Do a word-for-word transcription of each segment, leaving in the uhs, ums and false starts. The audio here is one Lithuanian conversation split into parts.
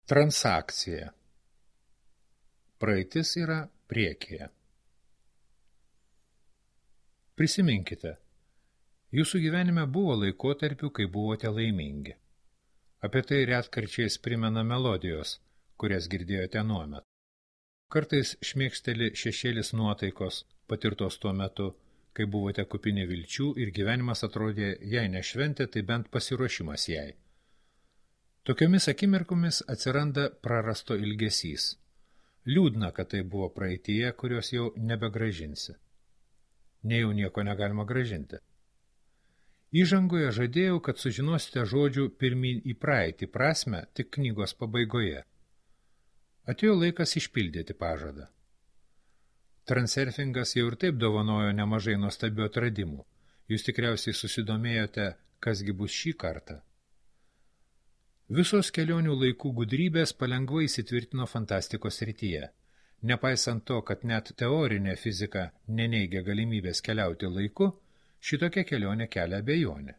Transakcija. Praeitis yra priekyje. Prisiminkite, jūsų gyvenime buvo laikotarpių, kai buvote laimingi. Apie tai retkarčiais primena melodijos, kurias girdėjote nuomet. Kartais šmėkšteli šešėlis nuotaikos, patirtos tuo metu, kai buvote kupini vilčių ir gyvenimas atrodė, jei ne šventė, tai bent pasiruošimas jai. Tokiomis akimirkomis atsiranda prarasto ilgesys. Liūdna, kad tai buvo praeityje, kurios jau nebegražinsi. Nejau nieko negalima gražinti. Įžangoje žadėjau, kad sužinosite žodžių pirmyn į praeitį prasme tik knygos pabaigoje. Atėjo laikas išpildyti pažadą. Transurfingas jau ir taip dovanojo nemažai nuostabių atradimų. Jūs tikriausiai susidomėjote, kasgi bus šį kartą. Visos kelionių laikų gudrybės palengvai įsitvirtino fantastikos srityje. Nepaisant to, kad net teorinė fizika neneigia galimybės keliauti laiku, šitokia kelionė kelia abejonę.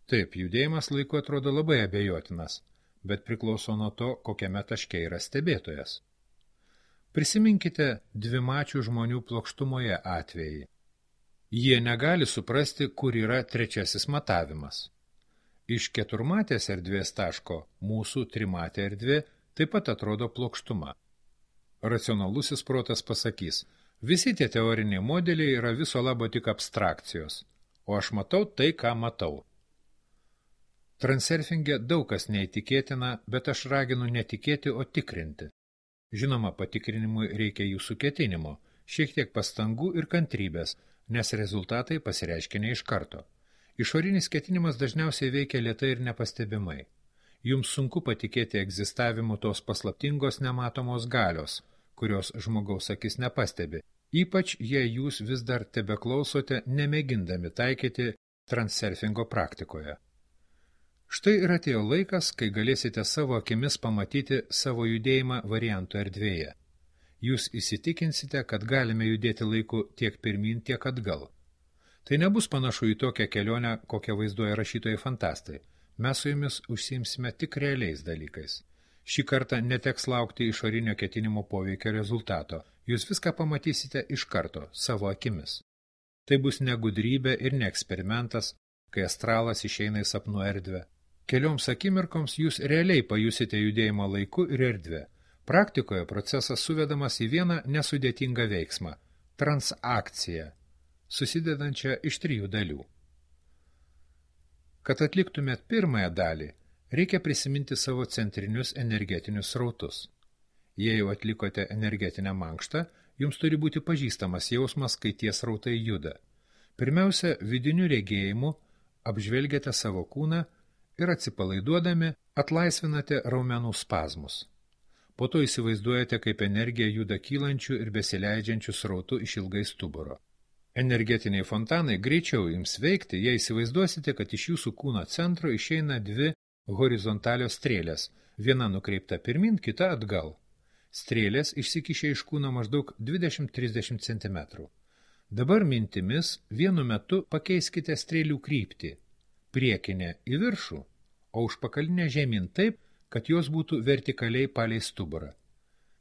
Taip, judėjimas laiku atrodo labai abejotinas, bet priklauso nuo to, kokiame taške yra stebėtojas. Prisiminkite dvimačių žmonių plokštumoje atvejį. Jie negali suprasti, kur yra trečiasis matavimas. Iš keturmatės erdvės taško mūsų trimatė erdvė taip pat atrodo plokštuma. Racionalusis protas pasakys, visi tie teoriniai modeliai yra viso labo tik abstrakcijos, o aš matau tai, ką matau. Transurfinge daug kas neįtikėtina, bet aš raginu netikėti, o tikrinti. Žinoma, patikrinimui reikia jūsų ketinimo, šiek tiek pastangų ir kantrybės, nes rezultatai pasireiškia ne iš karto. Išorinis ketinimas dažniausiai veikia lėtai ir nepastebimai. Jums sunku patikėti egzistavimu tos paslaptingos nematomos galios, kurios žmogaus akis nepastebi, ypač jei jūs vis dar tebeklausote, nemėgindami taikyti transurfingo praktikoje. Štai ir atėjo laikas, kai galėsite savo akimis pamatyti savo judėjimą variantų erdvėje. Jūs įsitikinsite, kad galime judėti laiku tiek pirmin, tiek atgal. Tai nebus panašu į tokią kelionę, kokią vaizduoja rašytojai fantastai. Mes su jumis užsiimsime tik realiais dalykais. Šį kartą neteks laukti išorinio ketinimo poveikio rezultato. Jūs viską pamatysite iš karto, savo akimis. Tai bus ne gudrybė ir ne eksperimentas, kai astralas išeina į sapnų erdvę. Kelioms akimirkoms jūs realiai pajusite judėjimą laiku ir erdvę. Praktikoje procesas suvedamas į vieną nesudėtingą veiksmą – transakciją, susidedančią iš trijų dalių. Kad atliktumėt pirmąją dalį, reikia prisiminti savo centrinius energetinius srautus. Jei jau atlikote energetinę mankštą, jums turi būti pažįstamas jausmas, kai tie srautai juda. Pirmiausia, vidiniu regėjimu apžvelgiate savo kūną ir atsipalaiduodami atlaisvinate raumenų spazmus. Po to įsivaizduojate, kaip energija juda kylančių ir besileidžiančių srautų iš ilgai stuburo. Energetiniai fontanai greičiau jums veikti, jei įsivaizduosite, kad iš jūsų kūno centro išeina dvi horizontalios strėlės, viena nukreipta pirmin, kita atgal. Strėlės išsikišė iš kūno maždaug dvidešimt trisdešimt centimetrų. Dabar mintimis vienu metu pakeiskite strėlių kryptį, priekinę į viršų, o užpakalinę žemyn taip, kad jos būtų vertikaliai palei stuburą.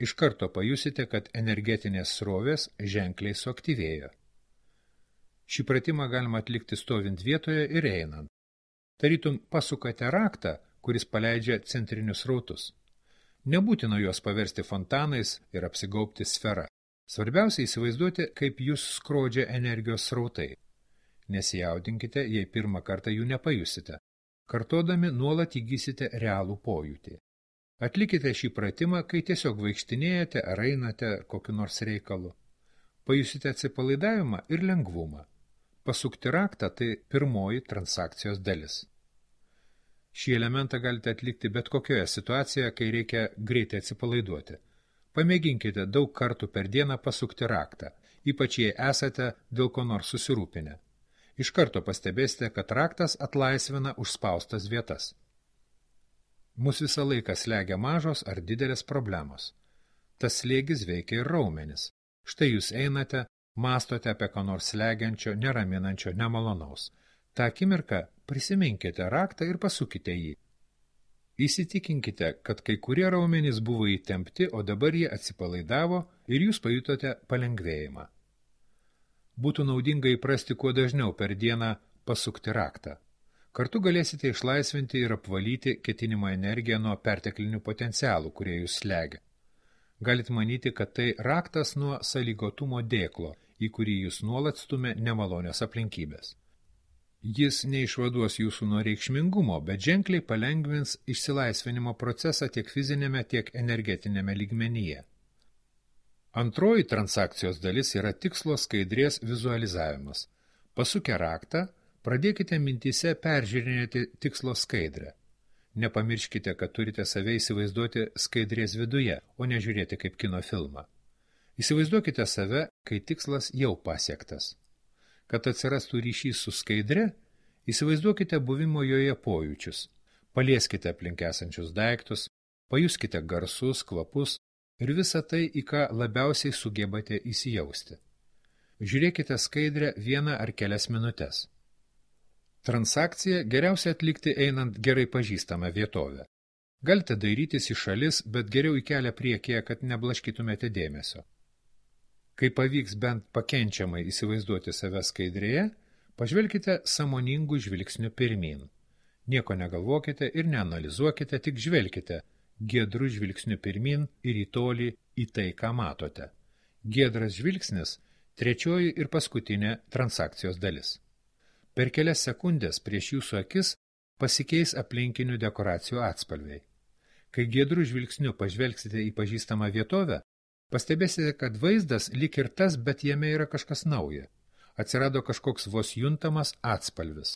Iš karto pajusite, kad energetinės srovės ženkliai suaktyvėjo. Šį pratimą galima atlikti stovint vietoje ir einant. Tarytum pasukate raktą, kuris paleidžia centrinius srautus. Nebūtina juos paversti fontanais ir apsigaubti sferą. Svarbiausia įsivaizduoti, kaip jūs skrodžia energijos srautai. Nesijaudinkite, jei pirmą kartą jų nepajusite. Kartodami nuolat įgysite realų pojūtį. Atlikite šį pratimą, kai tiesiog vaikštinėjate ar einate kokiu nors reikalu. Pajusite atsipalaidavimą ir lengvumą. Pasukti raktą – tai pirmoji transakcijos dalis. Šį elementą galite atlikti bet kokioje situacijoje, kai reikia greitai atsipalaiduoti. Pamėginkite daug kartų per dieną pasukti raktą, ypač jei esate dėl ko nors susirūpinę. Iš karto pastebėsite, kad raktas atlaisvina užspaustas vietas. Mus visą laiką slegia mažos ar didelės problemos. Tas slėgis veikia ir raumenis. Štai jūs einate, mąstote apie ką nors slegiančio, neraminančio, nemalonaus. Ta akimirka prisiminkite raktą ir pasukite jį. Įsitikinkite, kad kai kurie raumenys buvo įtempti, o dabar jie atsipalaidavo ir jūs pajutote palengvėjimą. Būtų naudinga įprasti kuo dažniau per dieną pasukti raktą. Kartu galėsite išlaisvinti ir apvalyti ketinimo energiją nuo perteklinių potencialų, kurie jūs slegia. Galit manyti, kad tai raktas nuo sąlygotumo dėklo, į kurį jūs nuolat stumia nemalonios aplinkybės. Jis neišvaduos jūsų nuo reikšmingumo, bet ženkliai palengvins išsilaisvinimo procesą tiek fizinėme, tiek energetinėme lygmenyje. Antroji transakcijos dalis yra tikslo skaidrės vizualizavimas. Pasukę raktą, pradėkite mintyse peržiūrinėti tikslo skaidrę. Nepamirškite, kad turite save įsivaizduoti skaidrės viduje, o nežiūrėti kaip kino filmą. Įsivaizduokite save, kai tikslas jau pasiektas. Kad atsirastų ryšys su skaidre, įsivaizduokite buvimo joje pojūčius. Palieskite aplink esančius daiktus, pajuskite garsus, kvapus ir visą tai, į ką labiausiai sugebate įsijausti. Žiūrėkite skaidrę vieną ar kelias minutes. Transakciją geriausia atlikti einant gerai pažįstamą vietovę. Galite dairytis į šalis, bet geriau į kelią priekyje, kad neblaškytumėte dėmesio. Kai pavyks bent pakenčiamai įsivaizduoti save skaidrėje, pažvelkite sąmoningų žvilgsnių pirmyn. Nieko negalvokite ir neanalizuokite, tik žvelkite giedrų žvilgsnių pirmyn ir į tolį į tai, ką matote. Giedras žvilgsnis – trečioji ir paskutinė transakcijos dalis. Per kelias sekundės prieš jūsų akis pasikeis aplinkinių dekoracijų atspalviai. Kai giedrų žvilgsniu pažvelgsite į pažįstamą vietovę, pastebėsite, kad vaizdas lyg ir tas, bet jame yra kažkas nauja. Atsirado kažkoks vos juntamas atspalvis.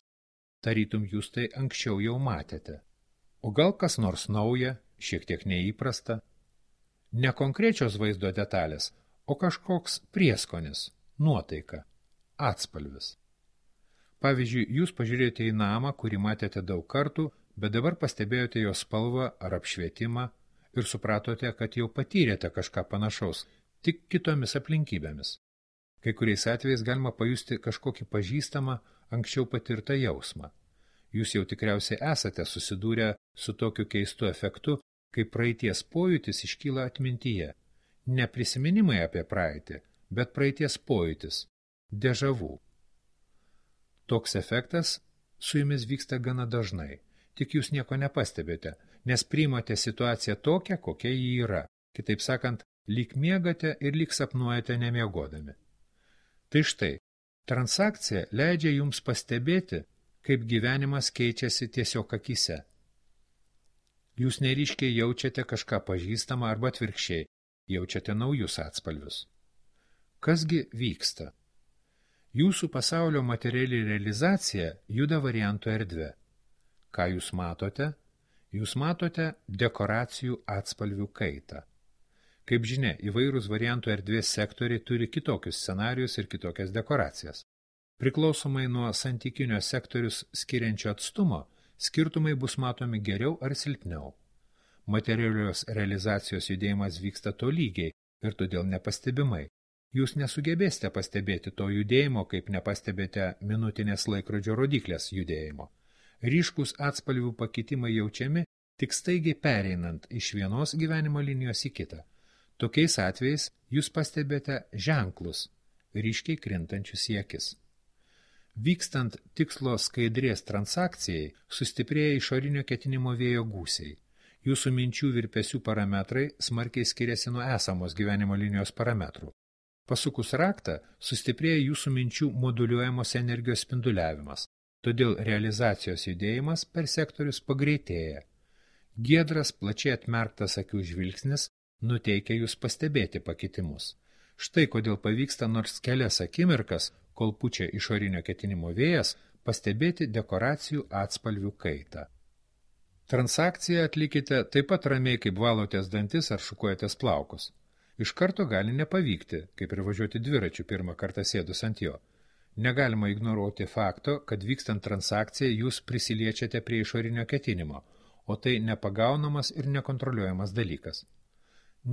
Tarytum jūs tai anksčiau jau matėte. O gal kas nors nauja, šiek tiek neįprasta? Ne konkrečios vaizdo detalės, o kažkoks prieskonis, nuotaika, atspalvis. Pavyzdžiui, jūs pažiūrėjote į namą, kurį matėte daug kartų, bet dabar pastebėjote jo spalvą ar apšvietimą, ir supratote, kad jau patyrėte kažką panašaus, tik kitomis aplinkybėmis. Kai kuriais atvejais galima pajusti kažkokį pažįstamą, anksčiau patirtą jausmą. Jūs jau tikriausiai esate susidūrę su tokiu keistu efektu, kai praeities pojūtis iškyla atmintyje. Ne prisiminimai apie praeitį, bet praeities pojūtis, dežavų. Toks efektas su jumis vyksta gana dažnai. Tik jūs nieko nepastebėte, nes priimate situaciją tokią, kokia ji yra. Kitaip sakant, lyg miegate ir lyg sapnuojate nemiegodami. Tai štai, transakcija leidžia jums pastebėti, kaip gyvenimas keičiasi tiesiog akyse. Jūs neryškiai jaučiate kažką pažįstamą arba atvirkščiai, jaučiate naujus atspalvius. Kasgi vyksta? Jūsų pasaulio materiali realizacija juda variantų erdvė. Ką jūs matote? Jūs matote dekoracijų atspalvių kaitą. Kaip žinia, įvairūs variantų erdvės sektoriai turi kitokius scenarius ir kitokias dekoracijas. Priklausomai nuo santykinio sektorius skiriančio atstumo, skirtumai bus matomi geriau ar silpniau. Materialios realizacijos judėjimas vyksta tolygiai ir todėl nepastebimai. Jūs nesugebėsite pastebėti to judėjimo, kaip nepastebėte minutinės laikrodžio rodiklės judėjimo. Ryškus atspalvių pakitimai jaučiami tik staigiai pereinant iš vienos gyvenimo linijos į kitą. Tokiais atvejais jūs pastebėte ženklus, ryškiai krintančius į akis. Vykstant tikslo skaidrės transakcijai, sustiprėja išorinio ketinimo vėjo gūsiai. Jūsų minčių virpesių parametrai smarkiai skiriasi nuo esamos gyvenimo linijos parametrų. Pasukus raktą, sustiprėja jūsų minčių moduliuojamos energijos spinduliavimas. Todėl realizacijos judėjimas per sektorius pagreitėja. Giedras, plačiai atmerktas akių žvilgsnis nuteikia jūs pastebėti pakitimus. Štai kodėl pavyksta nors kelias akimirkas, kol pučia išorinio ketinimo vėjas, pastebėti dekoracijų atspalvių kaitą. Transakciją atlikite taip pat ramiai, kaip valotės dantis ar šukuojatės plaukus. Iš karto gali nepavykti, kaip ir važiuoti dviračiu pirmą kartą sėdus ant jo. Negalima ignoruoti fakto, kad vykstant transakciją jūs prisiliečiate prie išorinio ketinimo, o tai nepagaunamas ir nekontroliuojamas dalykas.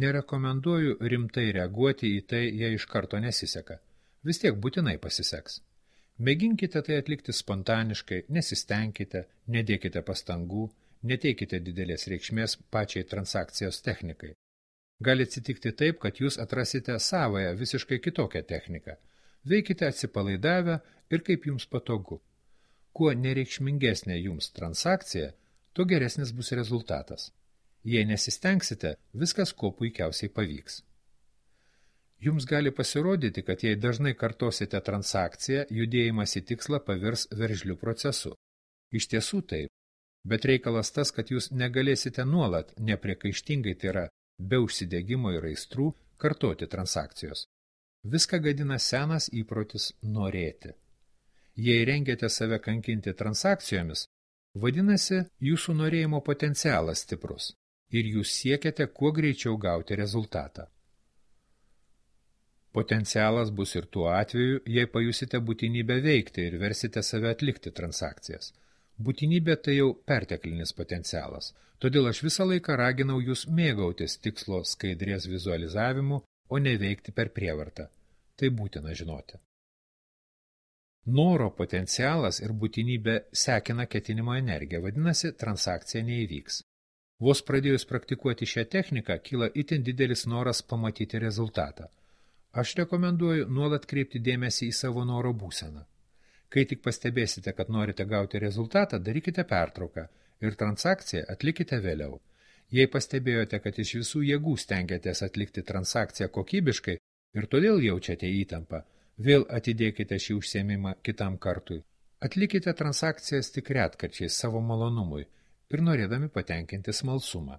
Nerekomenduoju rimtai reaguoti į tai, jei iš karto nesiseka. Vis tiek būtinai pasiseks. Mėginkite tai atlikti spontaniškai, nesistengkite, nedėkite pastangų, Neteikite didelės reikšmės pačiai transakcijos technikai. Gali atsitikti taip, kad jūs atrasite savąją visiškai kitokią techniką. Veikite atsipalaidavę ir kaip jums patogu. Kuo nereikšmingesnė jums transakcija, tuo geresnis bus rezultatas. Jei nesistengsite, viskas kuo puikiausiai pavyks. Jums gali pasirodyti, kad jei dažnai kartosite transakciją, judėjimas į tikslą pavirs veržliu procesu. Iš tiesų taip, bet reikalas tas, kad jūs negalėsite nuolat, nepriekaištingai, tai yra be užsidegimo ir aistrų, kartoti transakcijos. Viską gadina senas įprotis norėti. Jei rengiate save kankinti transakcijomis, vadinasi, jūsų norėjimo potencialas stiprus ir jūs siekiate kuo greičiau gauti rezultatą. Potencialas bus ir tuo atveju, jei pajusite būtinybę veikti ir versite save atlikti transakcijas. Būtinybė tai jau perteklinis potencialas, todėl aš visą laiką raginau jūs mėgautis tikslo skaidrės vizualizavimu, o ne veikti per prievartą. Tai būtina žinoti. Noro potencialas ir būtinybė sekina ketinimo energiją, vadinasi, transakcija neįvyks. Vos pradėjus praktikuoti šią techniką, kyla itin didelis noras pamatyti rezultatą. Aš rekomenduoju nuolat kreipti dėmesį į savo noro būseną. Kai tik pastebėsite, kad norite gauti rezultatą, darykite pertrauką ir transakciją atlikite vėliau. Jei pastebėjote, kad iš visų jėgų stengiatės atlikti transakciją kokybiškai ir todėl jaučiate įtampą, vėl atidėkite šį užsiėmimą kitam kartui. Atlikite transakcijas tik retkarčiais savo malonumui ir norėdami patenkinti smalsumą.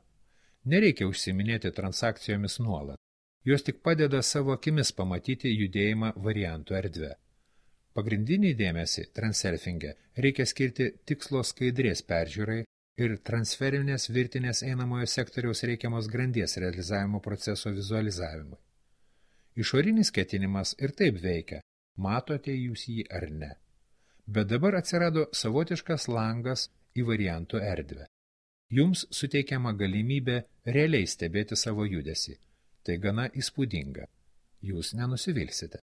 Nereikia užsiiminėti transakcijomis nuolat. Jos tik padeda savo akimis pamatyti judėjimą variantų erdvę. Pagrindinį dėmesį transurfinge reikia skirti tikslo skaidrės peržiūrai ir transferinės virtinės einamojo sektoriaus reikiamos grandies realizavimo proceso vizualizavimui. Išorinis ketinimas ir taip veikia, matote jūs jį ar ne. Bet dabar atsirado savotiškas langas į variantų erdvę. Jums suteikiama galimybė realiai stebėti savo judesį. Tai gana įspūdinga. Jūs nenusivilsite.